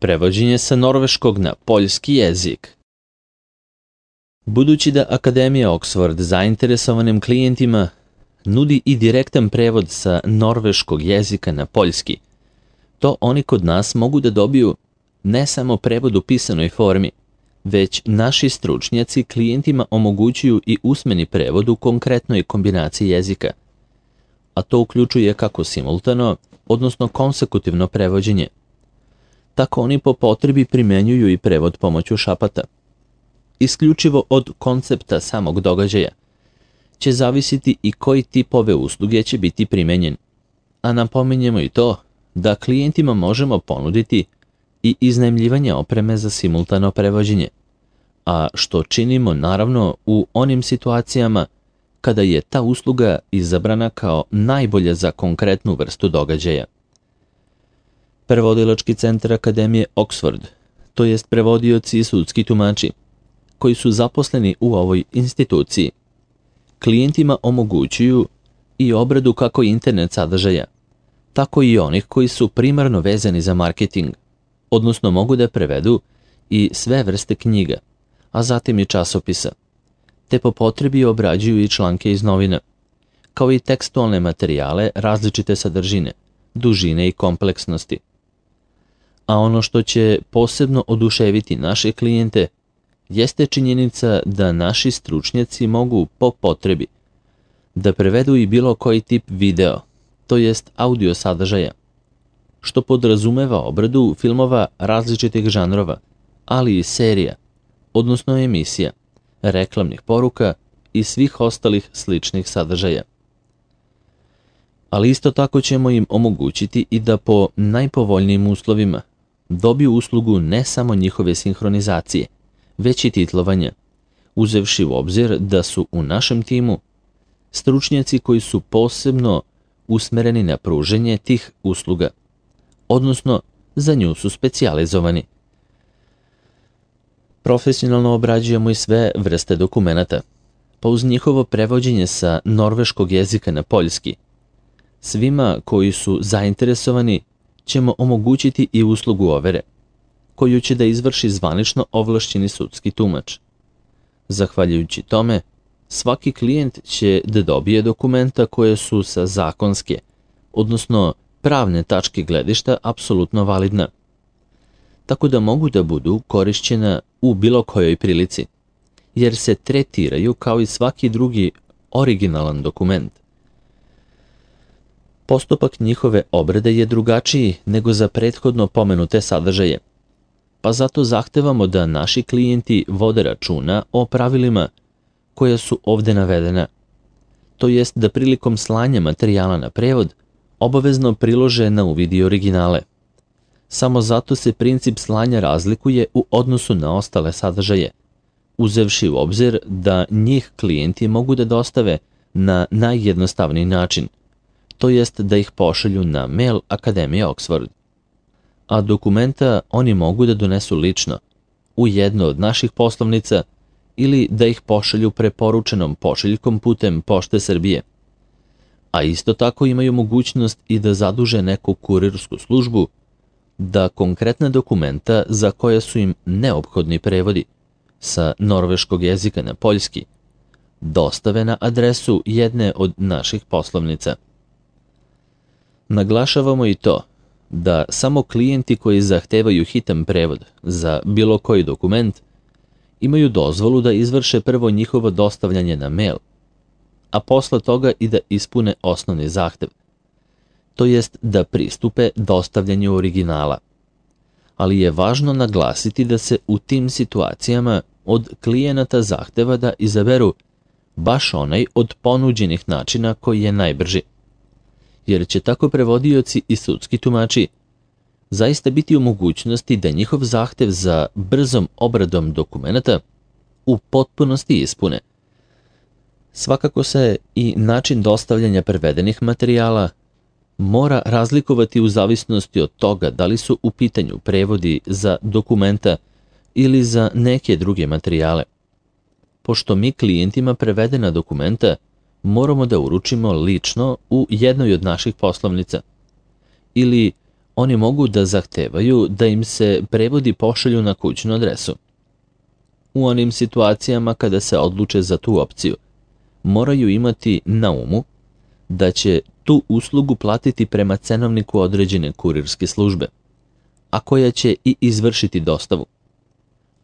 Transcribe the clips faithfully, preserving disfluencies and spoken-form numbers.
Prevođenje sa norveškog na poljski jezik. Budući da Akademija Oxford zainteresovanim klijentima nudi i direktan prevod sa norveškog jezika na poljski, to oni kod nas mogu da dobiju ne samo prevod u pisanoj formi, već naši stručnjaci klijentima omogućuju i usmeni prevod u konkretnoj kombinaciji jezika, a to uključuje kako simultano, odnosno konsekutivno prevođenje. Tako oni po potrebi primenjuju i prevod pomoću šapata. Isključivo od koncepta samog događaja će zavisiti i koji tip ove usluge će biti primenjen. A napominjemo i to da klijentima možemo ponuditi i iznajmljivanje opreme za simultano prevođenje, a što činimo naravno u onim situacijama kada je ta usluga izabrana kao najbolja za konkretnu vrstu događaja. Prevodilački centar Akademije Oxford, to jest prevodioci i sudski tumači, koji su zaposleni u ovoj instituciji, klijentima omogućuju i obradu kako internet sadržaja, tako i onih koji su primarno vezani za marketing, odnosno mogu da prevedu i sve vrste knjiga, a zatim i časopisa, te po potrebi obrađuju i članke iz novina, kao i tekstualne materijale različite sadržine, dužine i kompleksnosti. A ono što će posebno oduševiti naše klijente jeste činjenica da naši stručnjaci mogu po potrebi da prevedu i bilo koji tip video, to jest audio sadržaja, što podrazumeva obradu filmova različitih žanrova, ali i serija, odnosno emisija, reklamnih poruka i svih ostalih sličnih sadržaja. Ali isto tako ćemo im omogućiti i da po najpovoljnijim uslovima dobiju uslugu ne samo njihove sinhronizacije, već i titlovanja, uzevši u obzir da su u našem timu stručnjaci koji su posebno usmereni na pruženje tih usluga, odnosno za nju su specijalizovani. Profesionalno obrađujemo i sve vrste dokumenata, pa uz njihovo prevođenje sa norveškog jezika na poljski, svima koji su zainteresovani ćemo omogućiti i uslugu overe, koju će da izvrši zvanično ovlašćeni sudski tumač. Zahvaljujući tome, svaki klijent će da dobije dokumenta koje su sa zakonske, odnosno pravne tačke gledišta apsolutno validna, tako da mogu da budu korišćena u bilo kojoj prilici, jer se tretiraju kao i svaki drugi originalan dokument. Postupak njihove obrade je drugačiji nego za prethodno pomenute sadržaje, pa zato zahtevamo da naši klijenti vode računa o pravilima koja su ovde navedena, to jest da prilikom slanja materijala na prevod obavezno prilože na uvid i originale. Samo zato se princip slanja razlikuje u odnosu na ostale sadržaje, uzevši u obzir da njih klijenti mogu da dostave na najjednostavniji način, to jest da ih pošalju na mail Akademije Oxford. A dokumenta oni mogu da donesu lično, u jednu od naših poslovnica ili da ih pošalju preporučenom pošiljkom putem Pošte Srbije. A isto tako imaju mogućnost i da zaduže neku kurirsku službu da konkretna dokumenta za koje su im neophodni prevodi sa norveškog jezika na poljski dostave na adresu jedne od naših poslovnica. Naglašavamo i to da samo klijenti koji zahtevaju hitan prevod za bilo koji dokument imaju dozvolu da izvrše prvo njihovo dostavljanje na mail, a posle toga i da ispune osnovni zahtev, to jest da pristupe dostavljanju originala. Ali je važno naglasiti da se u tim situacijama od klijenata zahteva da izaberu baš onaj od ponuđenih načina koji je najbrži, jer će tako prevodioci i sudski tumači zaista biti u mogućnosti da njihov zahtev za brzom obradom dokumenata u potpunosti ispune. Svakako se i način dostavljanja prevedenih materijala mora razlikovati u zavisnosti od toga da li su u pitanju prevodi za dokumenta ili za neke druge materijale. Pošto mi klijentima prevedena dokumenta moramo da uručimo lično u jednoj od naših poslovnica ili Oni mogu da zahtevaju da im se prevodi pošalju na kućnu adresu. U onim situacijama kada se odluče za tu opciju, moraju imati na umu da će tu uslugu platiti prema cenovniku određene kurirske službe, a koja će i izvršiti dostavu.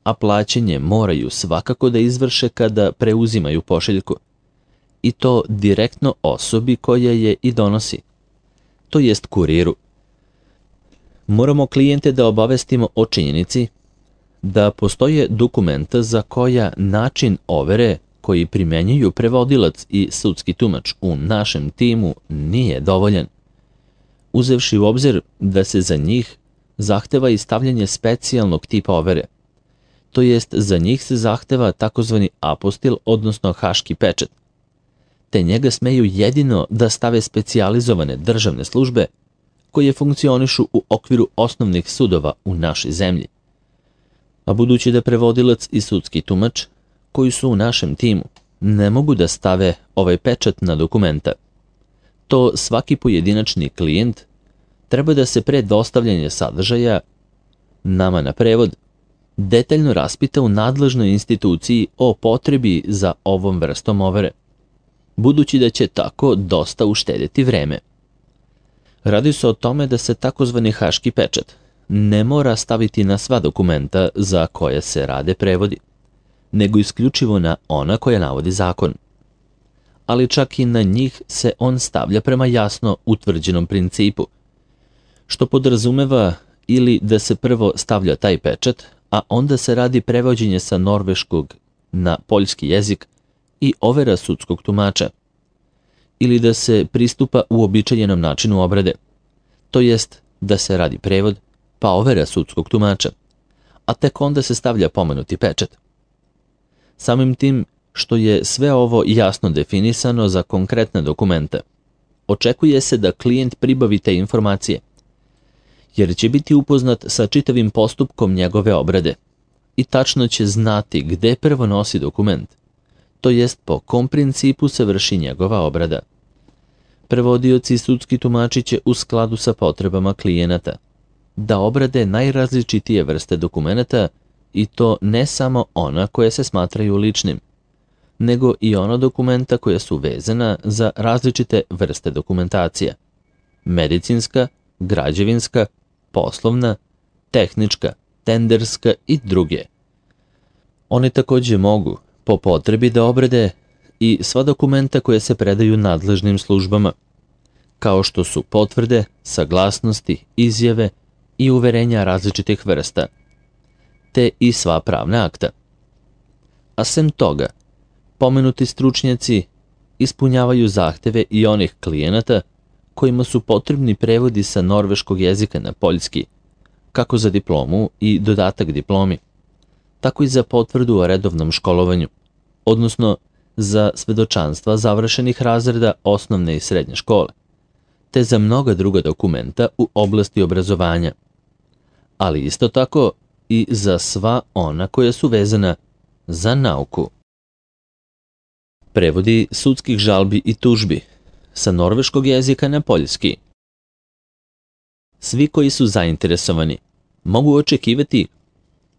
A plaćanje moraju svakako da izvrše kada preuzimaju pošiljku, i to direktno osobi koja je i donosi, to jest kuriru. Moramo klijente da obavestimo o činjenici da postoje dokumenta za koja način overe koji primenjuju prevodilac i sudski tumač u našem timu nije dovoljan, uzevši u obzir da se za njih zahteva i stavljanje specijalnog tipa overe, to jest za njih se zahteva takozvani apostil, odnosno haški pečat, te njega smeju jedino da stave specijalizovane državne službe koje funkcionišu u okviru osnovnih sudova u našoj zemlji. A budući da prevodilac i sudski tumač, koji su u našem timu, ne mogu da stave ovaj pečat na dokumenta, to svaki pojedinačni klijent treba da se pre dostavljanja sadržaja nama na prevod detaljno raspita u nadležnoj instituciji o potrebi za ovom vrstom overe, budući da će tako dosta uštedjeti vreme. Radi se o tome da se takozvani haški pečat ne mora staviti na sva dokumenta za koje se rade prevodi, nego isključivo na ona koja navodi zakon. Ali čak i na njih se on stavlja prema jasno utvrđenom principu, što podrazumeva ili da se prvo stavlja taj pečat, a onda se radi prevođenje sa norveškog na poljski jezik i overa sudskog tumača, ili da se pristupa uobičajenom načinu obrade, to jest da se radi prevod pa overa sudskog tumača, a tek onda se stavlja pomenuti pečat. Samim tim što je sve ovo jasno definisano za konkretne dokumente, očekuje se da klijent pribavi te informacije, jer će biti upoznat sa čitavim postupkom njegove obrade i tačno će znati gde prvo nosi dokument, to jest po kom principu se vrši njegova obrada. Prevodioci i sudski tumači će u skladu sa potrebama klijenata da obrade najrazličitije vrste dokumenata, i to ne samo ona koje se smatraju ličnim, nego i ona dokumenta koja su vezana za različite vrste dokumentacija: medicinska, građevinska, poslovna, tehnička, tenderska i druge. Oni također mogu, po potrebi, da obrade i sva dokumenta koje se predaju nadležnim službama, kao što su potvrde, saglasnosti, izjave i uverenja različitih vrsta, te i sva pravna akta. A sem toga, pomenuti stručnjaci ispunjavaju zahteve i onih klijenata kojima su potrebni prevodi sa norveškog jezika na poljski, kako za diplomu i dodatak diplomi, tako i za potvrdu o redovnom školovanju, odnosno za svedočanstva završenih razreda osnovne i srednje škole, te za mnoga druga dokumenta u oblasti obrazovanja, ali isto tako i za sva ona koja su vezana za nauku. Prevodi sudskih žalbi i tužbi sa norveškog jezika na poljski. Svi koji su zainteresovani mogu očekivati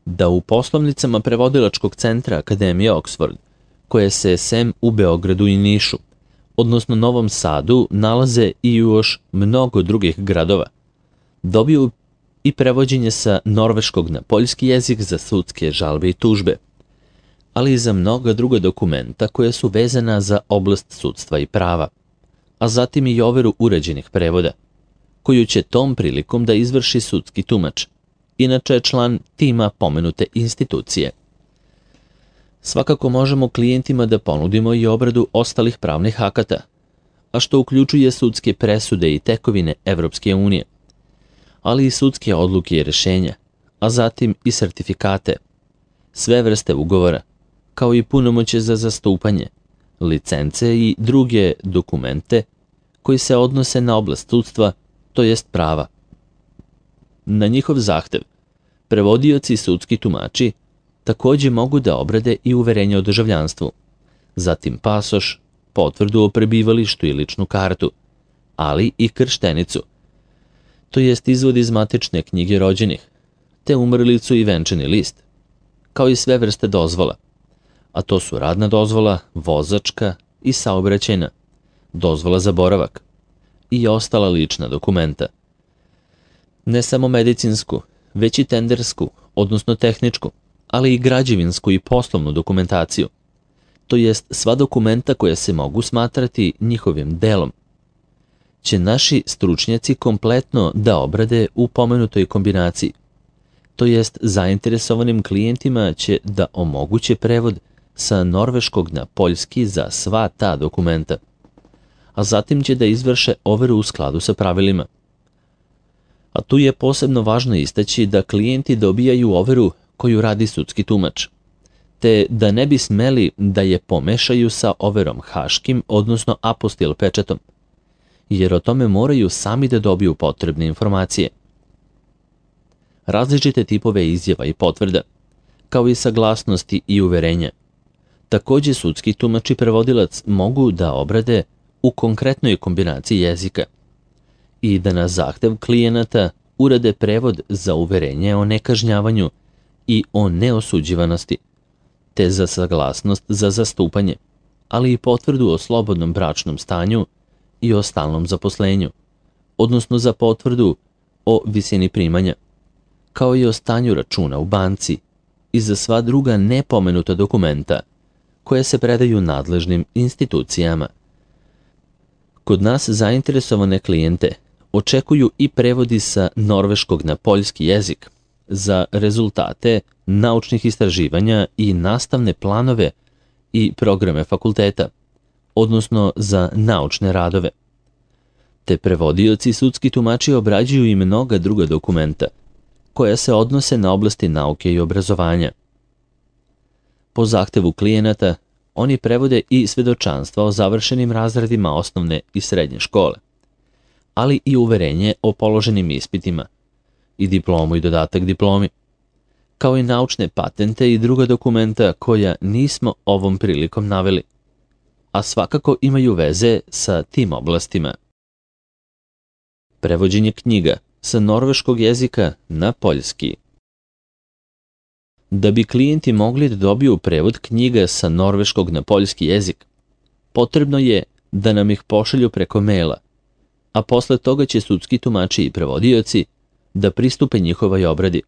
da u poslovnicama prevodilačkog centra Akademije Oxford, koje se sem u Beogradu i Nišu, odnosno Novom Sadu, nalaze i još mnogo drugih gradova, dobiju i prevođenje sa norveškog na poljski jezik za sudske žalbe i tužbe, ali i za mnoga druga dokumenta koja su vezana za oblast sudstva i prava, a zatim i overu uređenih prevoda, koju će tom prilikom da izvrši sudski tumač, inače je član tima pomenute institucije. Svakako možemo klijentima da ponudimo i obradu ostalih pravnih akata, a što uključuje sudske presude i tekovine Evropske unije, ali i sudske odluke i rješenja, a zatim i sertifikate, sve vrste ugovora, kao i punomoćje za zastupanje, licence i druge dokumente koji se odnose na oblast sudstva, to jest prava. Na njihov zahtev, prevodioci i sudski tumači također mogu da obrade i uverenje o državljanstvu, zatim pasoš, potvrdu o prebivalištu i ličnu kartu, ali i krštenicu, to jest izvod iz matične knjige rođenih, te umrlicu i venčani list, kao i sve vrste dozvola, a to su radna dozvola, vozačka i saobraćajna, dozvola za boravak i ostala lična dokumenta. Ne samo medicinsku, već i tendersku, odnosno tehničku, ali i građevinsku i poslovnu dokumentaciju, to jest sva dokumenta koja se mogu smatrati njihovim delom, će naši stručnjaci kompletno da obrade u pomenutoj kombinaciji, to jest zainteresovanim klijentima će da omoguće prevod sa norveškog na poljski za sva ta dokumenta, a zatim će da izvrše overu u skladu sa pravilima. A tu je posebno važno istaći da klijenti dobijaju overu koju radi sudski tumač, te da ne bi smeli da je pomešaju sa overom haškim, odnosno apostil pečatom, jer o tome moraju sami da dobiju potrebne informacije. Različite tipove izjava i potvrda, kao i saglasnosti i uverenja, takođe sudski tumač i prevodilac mogu da obrade u konkretnoj kombinaciji jezika i da na zahtev klijenata urade prevod za uverenje o nekažnjavanju i o neosuđivanosti, te za saglasnost za zastupanje, ali i potvrdu o slobodnom bračnom stanju i o stalnom zaposlenju, odnosno za potvrdu o visini primanja, kao i o stanju računa u banci i za sva druga nepomenuta dokumenta koje se predaju nadležnim institucijama. Kod nas zainteresovane klijente očekuju i prevodi sa norveškog na poljski jezik za rezultate naučnih istraživanja i nastavne planove i programe fakulteta, odnosno za naučne radove. Te prevodioci i sudski tumači obrađuju i mnoga druga dokumenta koja se odnose na oblasti nauke i obrazovanja. Po zahtevu klijenata oni prevode i svedočanstva o završenim razredima osnovne i srednje škole, ali i uverenje o položenim ispitima i diplomu i dodatak diplomi, kao i naučne patente i druga dokumenta koja nismo ovom prilikom naveli, a svakako imaju veze sa tim oblastima. Prevođenje knjiga sa norveškog jezika na poljski. Da bi klijenti mogli da dobiju prevod knjiga sa norveškog na poljski jezik, potrebno je da nam ih pošalju preko maila, a posle toga će sudski tumači i prevodioci da pristupe njihovoj obradi.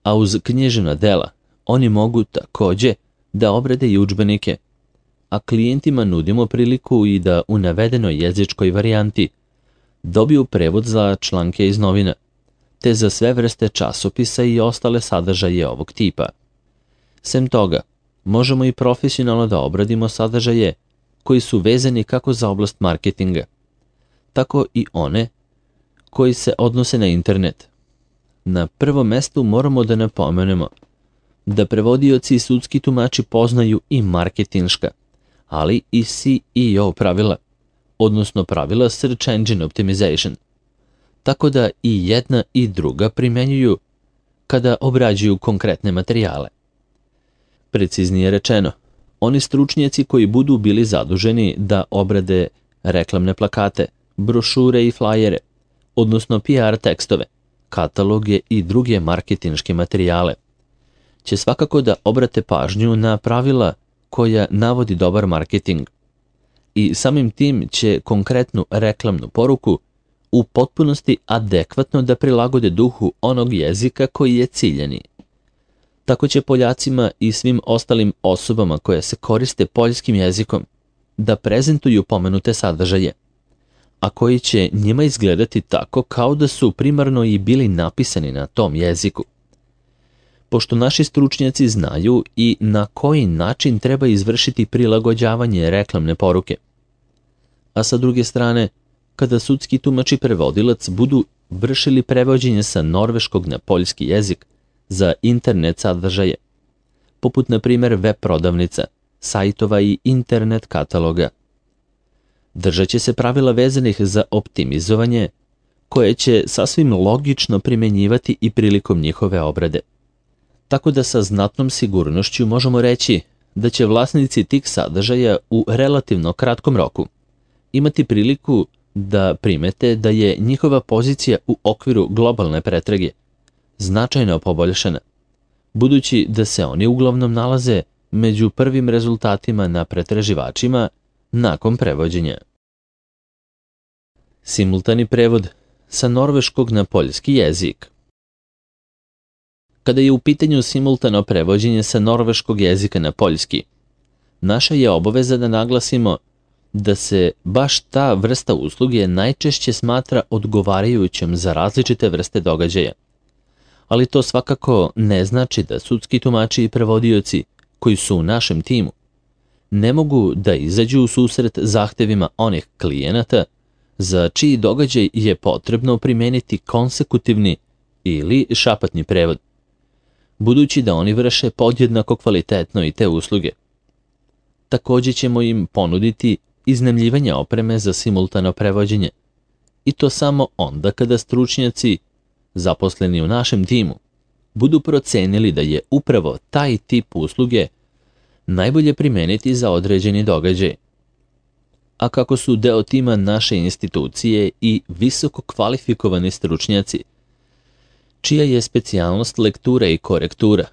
A uz književna dela oni mogu takođe da obrade i udžbenike, a klijentima nudimo priliku i da u navedenoj jezičkoj varijanti dobiju prevod za članke iz novina, te za sve vrste časopisa i ostale sadržaje ovog tipa. Sem toga, možemo i profesionalno da obradimo sadržaje koji su vezani kako za oblast marketinga, tako i one koji se odnose na internet. Na prvom mestu moramo da napomenemo da prevodioci i sudski tumači poznaju i marketinška, ali i C E O pravila, odnosno pravila Search Engine Optimization, tako da i jedna i druga primenjuju kada obrađuju konkretne materijale. Preciznije rečeno, oni stručnjaci koji budu bili zaduženi da obrade reklamne plakate, brošure i flajere, odnosno P R tekstove, kataloge i druge marketinške materijale, će svakako da obrate pažnju na pravila koja navodi dobar marketing i samim tim će konkretnu reklamnu poruku u potpunosti adekvatno da prilagode duhu onog jezika koji je ciljani. Tako će Poljacima i svim ostalim osobama koje se koriste poljskim jezikom da prezentuju pomenute sadržaje, a koji će njima izgledati tako kao da su primarno i bili napisani na tom jeziku. Pošto naši stručnjaci znaju i na koji način treba izvršiti prilagođavanje reklamne poruke. A sa druge strane, kada sudski tumač i prevodilac budu vršili prevođenje sa norveškog na poljski jezik za internet sadržaje, poput na primjer web prodavnica, sajtova i internet kataloga, držat će se pravila vezanih za optimizovanje, koje će sasvim logično primenjivati i prilikom njihove obrade. Tako da sa znatnom sigurnošću možemo reći da će vlasnici tih sadržaja u relativno kratkom roku imati priliku da primete da je njihova pozicija u okviru globalne pretrage značajno poboljšana, budući da se oni uglavnom nalaze među prvim rezultatima na pretraživačima nakon prevođenja. Simultani prevod sa norveškog na poljski jezik. Kada je u pitanju simultano prevođenje sa norveškog jezika na poljski, naša je obaveza da naglasimo da se baš ta vrsta usluge najčešće smatra odgovarajućom za različite vrste događaja. Ali to svakako ne znači da sudski tumači i prevodioci koji su u našem timu ne mogu da izađu u susret zahtevima onih klijenata za čiji događaj je potrebno primeniti konsekutivni ili šapatni prevod, budući da oni vrše podjednako kvalitetno i te usluge. Također ćemo im ponuditi iznajmljivanje opreme za simultano prevođenje, i to samo onda kada stručnjaci zaposleni u našem timu budu procenili da je upravo taj tip usluge najbolje primeniti za određeni događaj. A kako su deo tima naše institucije i visoko kvalifikovani stručnjaci, čija je specijalnost lektura i korektura,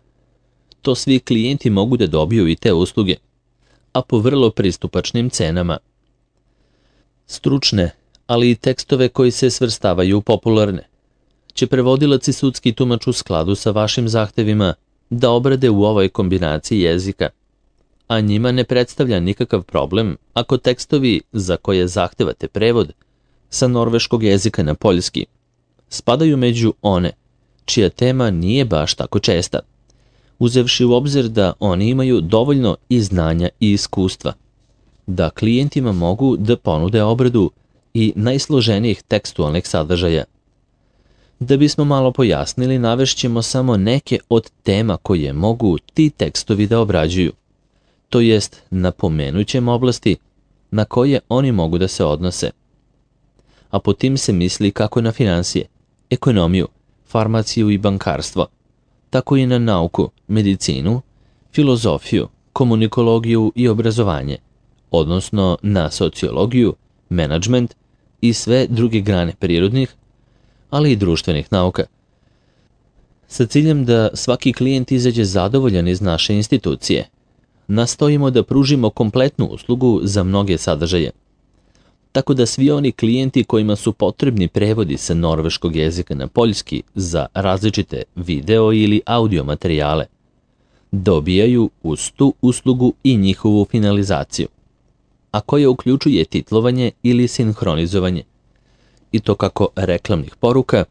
to svi klijenti mogu da dobiju i te usluge, a po vrlo pristupačnim cenama. Stručne, ali i tekstove koji se svrstavaju u popularne, će prevodilac i sudski tumač u skladu sa vašim zahtevima da obrade u ovoj kombinaciji jezika, a njima ne predstavlja nikakav problem ako tekstovi za koje zahtevate prevod sa norveškog jezika na poljski spadaju među one čija tema nije baš tako česta, uzevši u obzir da oni imaju dovoljno i znanja i iskustva, da klijentima mogu da ponude obradu i najsloženijih tekstualnih sadržaja. Da bismo malo pojasnili, navešćemo samo neke od tema koje mogu ti tekstovi da obrađuju, to jest napomenućem oblasti na koje oni mogu da se odnose. A po tim se misli kako na finansije, ekonomiju, farmaciju i bankarstvo, tako i na nauku, medicinu, filozofiju, komunikologiju i obrazovanje, odnosno na sociologiju, menadžment i sve druge grane prirodnih, ali i društvenih nauka. Sa ciljem da svaki klijent izađe zadovoljan iz naše institucije, nastojimo da pružimo kompletnu uslugu za mnoge sadržaje, tako da svi oni klijenti kojima su potrebni prevodi sa norveškog jezika na poljski za različite video ili audio materijale dobijaju uz tu uslugu i njihovu finalizaciju, a koja uključuje titlovanje ili sinhronizovanje, i to kako reklamnih poruka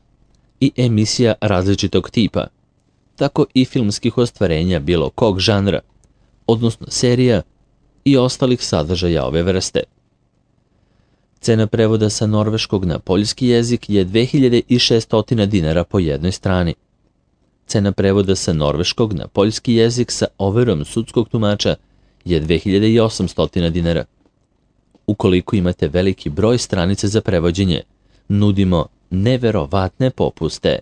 i emisija različitog tipa, tako i filmskih ostvarenja bilo kog žanra, odnosno serija i ostalih sadržaja ove vrste. Cena prevoda sa norveškog na poljski jezik je dve hiljade šesto dinara po jednoj strani. Cena prevoda sa norveškog na poljski jezik sa overom sudskog tumača je dve hiljade osamsto dinara. Ukoliko imate veliki broj stranica za prevođenje, nudimo neverovatne popuste.